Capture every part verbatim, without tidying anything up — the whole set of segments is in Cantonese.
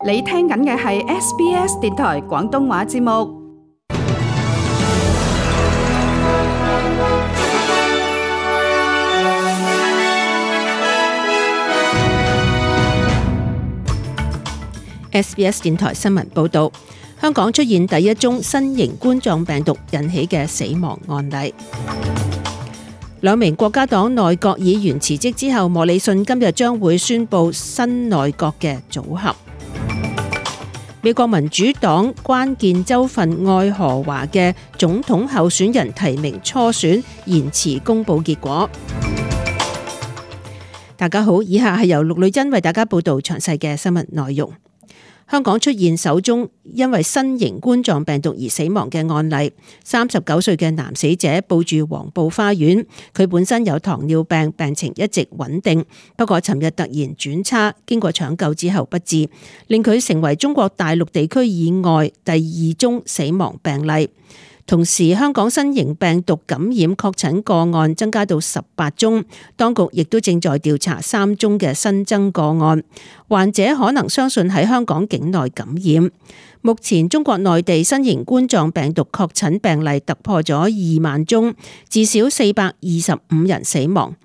你聽緊嘅係 S B S 電台廣東話節目。S B S 電台新聞報道，香港出現第一宗新型冠狀病毒引起嘅死亡案例。兩名國家黨內閣議員辭職之後，莫里遜今日將會宣布新內閣嘅組合。美國民主黨關鍵州份愛荷華嘅總統候選人提名初選延遲公佈結果。大家好，以下係由陸女珍為大家報道詳細嘅新聞內容。香港出現首宗因為新型冠狀病毒而死亡嘅案例，三十九歲嘅男死者報住黃埔花園，佢本身有糖尿病，病情一直穩定，不過尋日突然轉差，經過搶救之後不治，令佢成為中國大陸地區以外第二宗死亡病例。同時，香港新型病毒感染確診個案增加到十八宗，當局亦都正在調查三宗嘅新增個案，患者可能相信喺香港境內感染。目前中國內地新型冠狀病毒確診病例突破咗二萬宗，至少四百二十五人死亡。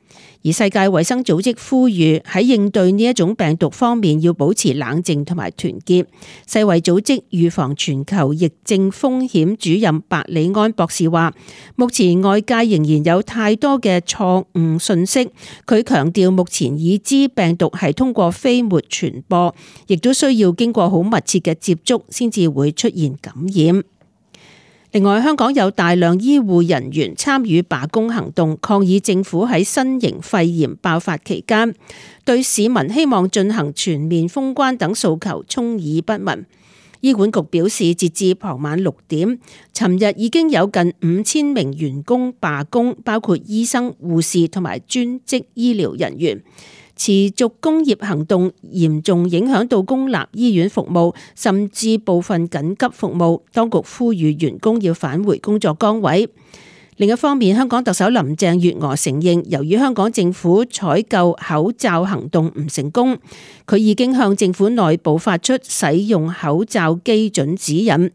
而世界衛生組織呼籲喺應對呢一種病毒方面要保持冷靜同埋團結。世衛組織預防全球疫症風險主任白里安博士話，目前外界仍然有太多嘅錯誤信息。佢強調目前已知病毒係通過飛沫傳播，亦都需要經過好密切嘅接觸先至會出現感染。另外，香港有大量醫護人員參與罷工行動，抗議政府喺新型肺炎爆發期間對市民希望進行全面封關等訴求充耳不聞。醫管局表示，截至傍晚六點，尋日已經有近五千名員工罷工，包括醫生、護士同埋專職醫療人員。持續工業行動嚴重影響到公立醫院服務，甚至部分緊急服務。當局呼籲員工要返回工作崗位。另一方面，香港特首林鄭月娥承認，由於香港政府採購口罩行動唔成功，佢已經向政府內部發出使用口罩基準指引。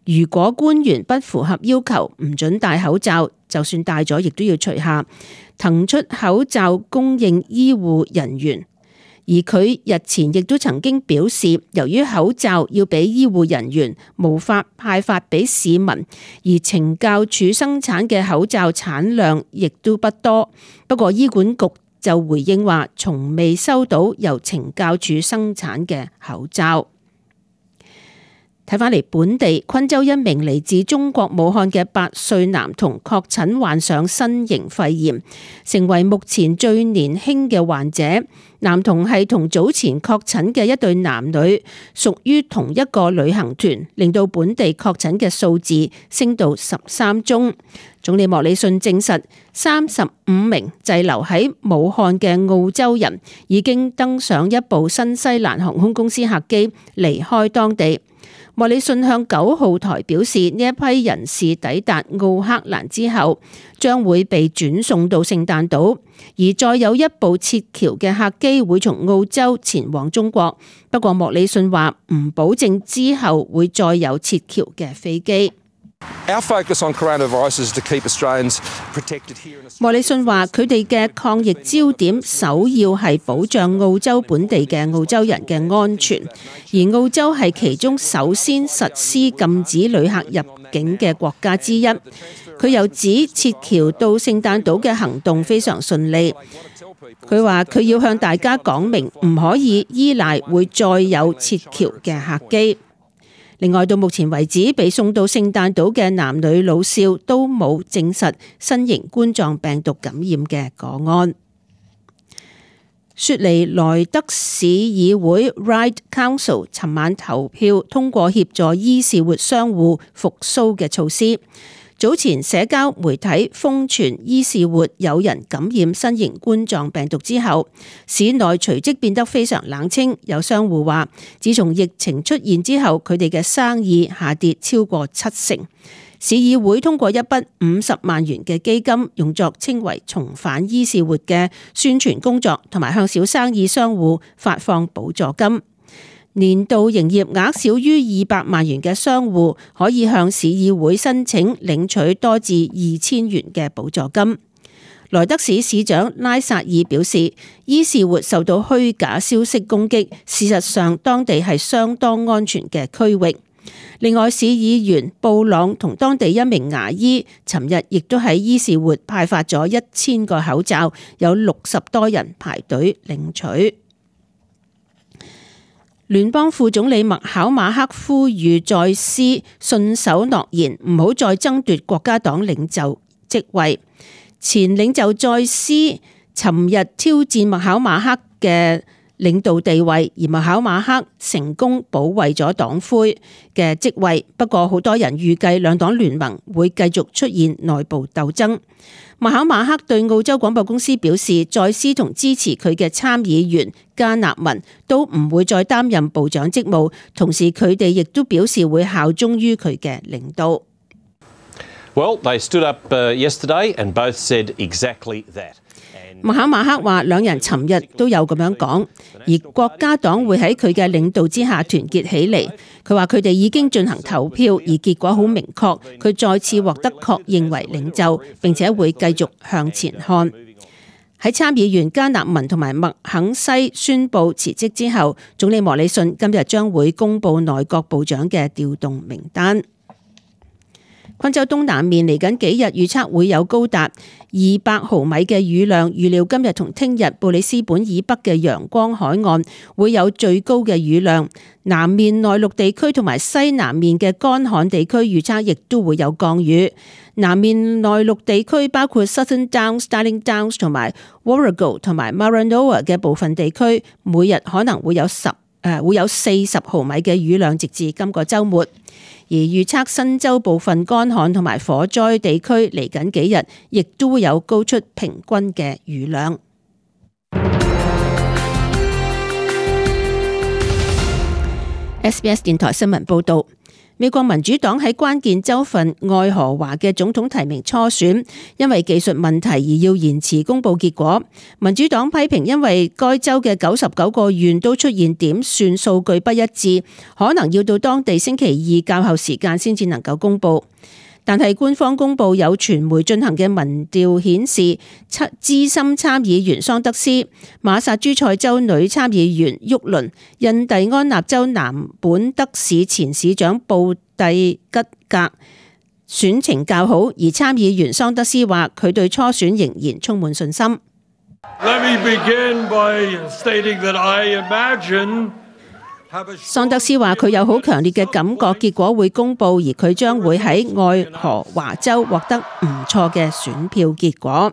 如果官員不符合要求，唔准戴口罩，就算戴咗，亦都要除下，騰出口罩供應醫護人員。而佢日前亦都曾經表示，由於口罩要俾醫護人員，無法派發俾市民，而懲教署生產嘅口罩產量亦都不多。不過醫管局就回應話，從未收到由懲教署生產嘅口罩。睇返嚟本地，昆州一名嚟自中國武漢嘅八歲男童確診患上新型肺炎，成為目前最年輕嘅患者。男童係同早前確診嘅一對男女屬於同一個旅行團，令到本地確診嘅數字升到十三宗。總理莫里遜證實，三十五名滯留喺武漢嘅澳洲人已經登上一部新西蘭航空公司客機離開當地。莫里遜向九號台表示，呢一批人士抵達奧克蘭之後，將會被轉送到聖誕島，而再有一部撤僑嘅客機會從澳洲前往中國。不過莫里遜話唔保證之後會再有撤僑嘅飛機。莫里遜話：佢哋嘅抗疫焦點首要係保障澳洲本地嘅澳洲人嘅安全，而澳洲係其中首先實施禁止旅客入境嘅國家之一。佢又指撤僑到聖誕島嘅行動非常順利。佢話佢要向大家講明，唔可以依賴會再有撤僑嘅客機。另外，到目前為止，被送到聖誕島嘅男女老少都冇證實新型冠狀病毒感染嘅個案。雪梨萊德市議會 Ryde Council 尋晚投票通過協助伊士活商戶復甦嘅措施。早前社交媒體瘋傳伊士活有人感染新型冠狀病毒之後，市內隨即變得非常冷清。有商戶話，自從疫情出現之後，佢哋嘅生意下跌超過七成。市議會通過一筆五十萬元嘅基金，用作稱為重返伊士活嘅宣傳工作，同埋向小生意商戶發放補助金。年度營業額少於二百萬元嘅商戶可以向市議會申請領取多至二千元嘅補助金。萊德市市長拉薩爾表示，伊士活受到虛假消息攻擊，事實上當地係相當安全嘅區域。另外，市議員布朗同當地一名牙醫尋日亦都喺伊士活派發咗一千個口罩，有六十多人排隊領取。聯邦副總理麥考馬克呼籲再斯信守諾言，唔好再爭奪國家黨領袖職位。前領袖再斯尋日挑戰麥考馬克嘅領導地位，而麥考馬克成功保衛咗黨魁嘅職位。不過好多人預計兩黨聯盟會繼續出現內部鬥爭。麥考馬克對澳洲廣播公司表示，再斯同支持佢嘅參議員加納文都唔會再擔任部長職務，同時佢哋亦都表示會效忠於佢嘅領導。Well, they stood up yesterday and both said exactly that. 麥考馬克話，兩人尋日都有咁樣講，而國家黨會喺佢嘅領導之下團結起嚟。佢話佢哋已經進行投票，而結果好明確，佢再次獲得確認為領袖，並且會繼續向前看。喺參議員加納文同埋麥肯西宣布辭職之後，總理莫里遜今日將會公布內閣部長嘅調動名單。昆州東南面嚟緊幾日預測會有高達二百毫米嘅雨量，預料今日同聽日布里斯本以北嘅陽光海岸會有最高嘅雨量，南面內陸地區同埋西南面嘅乾旱地區預測亦都會有降雨。南面內陸地區包括 Southern Downs、Darling Downs 同埋 Warrego 同埋 Maranoa 嘅部分地區，每日可能會有十誒會有四十毫米嘅雨量，直至今個週末。而預測新州部分乾旱同埋火災地區嚟緊幾日，亦都會有高出平均嘅雨量。S B S 電台新聞報導。美國民主黨喺關鍵州份愛荷華嘅總統提名初選，因為技術問題而要延遲公佈結果。民主黨批評，因為該州嘅九十九個縣都出現點算數據不一致，可能要到當地星期二較後時間先至能夠公佈。但係官方公佈有傳媒進行嘅民調顯示，資深參議員桑德斯、馬薩諸塞州女參議員沃倫、印第安納州南本德市前市長布蒂吉格選情較好，而參議員桑德斯話佢對初選仍然充滿信心。Let me begin by stating that I imagine桑德斯話佢有好強烈嘅感覺，結果會公佈，而佢將會喺愛荷華州獲得唔錯嘅選票結果。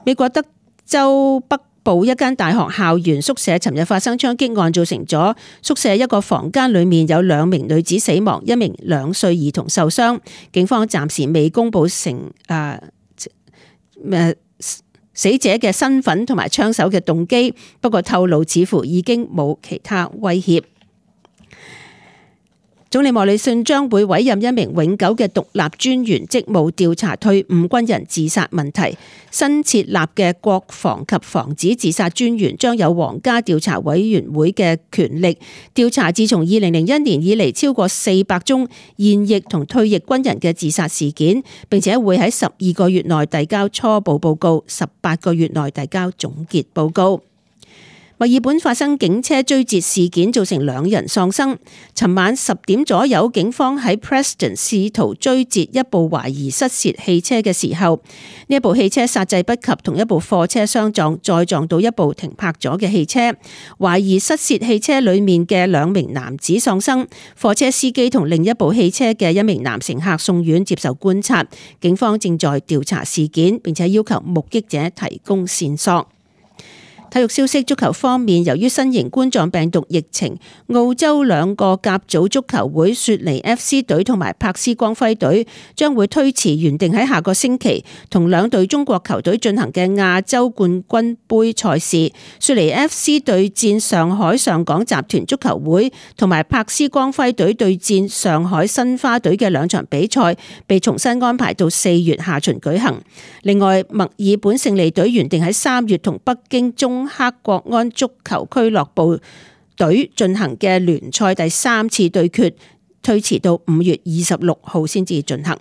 美國德州北部一間大學校園宿舍尋日發生槍擊案，造成咗宿舍一個房間裡面有兩名女子死亡，一名兩歲兒童受傷。警方暫時未公佈成誒誒。呃死者嘅身份同埋槍手嘅動機，不過透露似乎已經冇其他威脅。總理莫里遜將會委任一名永久嘅獨立專員職務，調查退伍軍人自殺問題。新設立嘅國防及防止自殺專員將有皇家調查委員會嘅權力，調查自從二零零一年以嚟超過四百宗現役同退役軍人嘅自殺事件，並且會喺十二個月內遞交初步報告，十八個月內遞交總結報告。墨爾本發生警車追截事件，造成兩人喪生。尋晚十點左右，警方喺 Preston 試圖追截一部懷疑失竊汽車嘅時候，呢一部汽車剎掣不及，同一部貨車相撞，再撞到一部停泊咗嘅汽車。懷疑失竊汽車裡面嘅兩名男子喪生，貨車司機同另一部汽車嘅一名男乘客送院接受觀察。警方正在調查事件，並且要求目擊者提供線索。體育消息，足球方面，由於新型冠狀病毒疫情，澳洲兩個甲組足球會雪梨 F C 隊同埋柏斯光輝隊將會推遲原定喺下個星期同兩隊中國球隊進行嘅亞洲冠軍杯賽事。雪梨 F C 對戰上海上港集團足球會，同埋柏斯光輝隊對戰上海申花隊嘅兩場比賽被重新安排到四月下旬舉行。另外，墨爾本勝利隊原定喺三月同北京中黑國安足球俱樂部隊進行嘅聯賽第三次對決推遲到五月二十六號先至進行。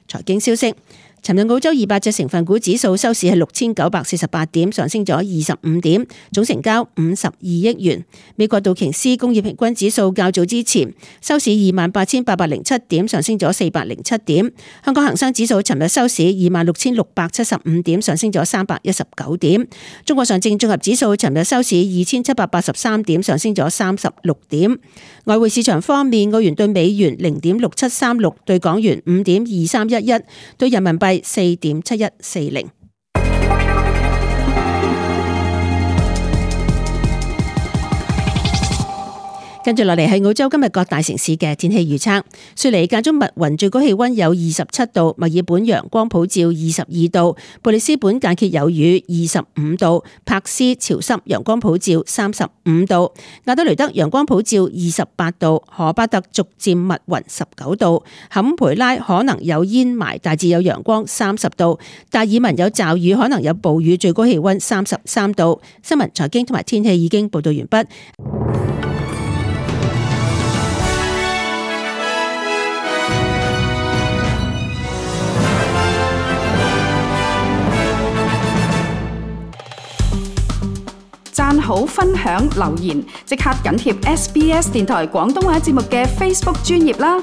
財經消息。尋日澳洲二百隻成分股指數收市係六千九百四十八點，上升咗二十五點，總成交五十二億元。美國道瓊斯工業平均指數較早之前收市二萬八千八百零七點，上升咗四百零七點。香港恒生指數尋日收市二萬六千六百七十五點，上升咗三百一十九點。中國上證綜合指數尋日收市二千七百八十三點，上升咗三十六點。外匯市場方面，澳元兌美元零點六七三六，兌港元五點二三一一，兌人民幣四點七一四零。跟住落嚟係澳洲今日各大城市嘅天氣預測。雪梨間中密雲，最高氣溫有二十七度；墨爾本陽光普照，二十二度；布里斯本間歇有雨，二十五度；珀斯潮濕，陽光普照，三十五度；亞德雷德陽光普照，二十八度；荷巴特逐漸密雲，十九度；坎培拉可能有煙霾，大致有陽光，三十度；達爾文有驟雨，可能有暴雨，最高氣溫三十三度。新聞、財經同埋天氣已經報道完畢。讚好、分享、留言，即刻緊貼 S B S 電台廣東話節目嘅 Facebook 專頁啦！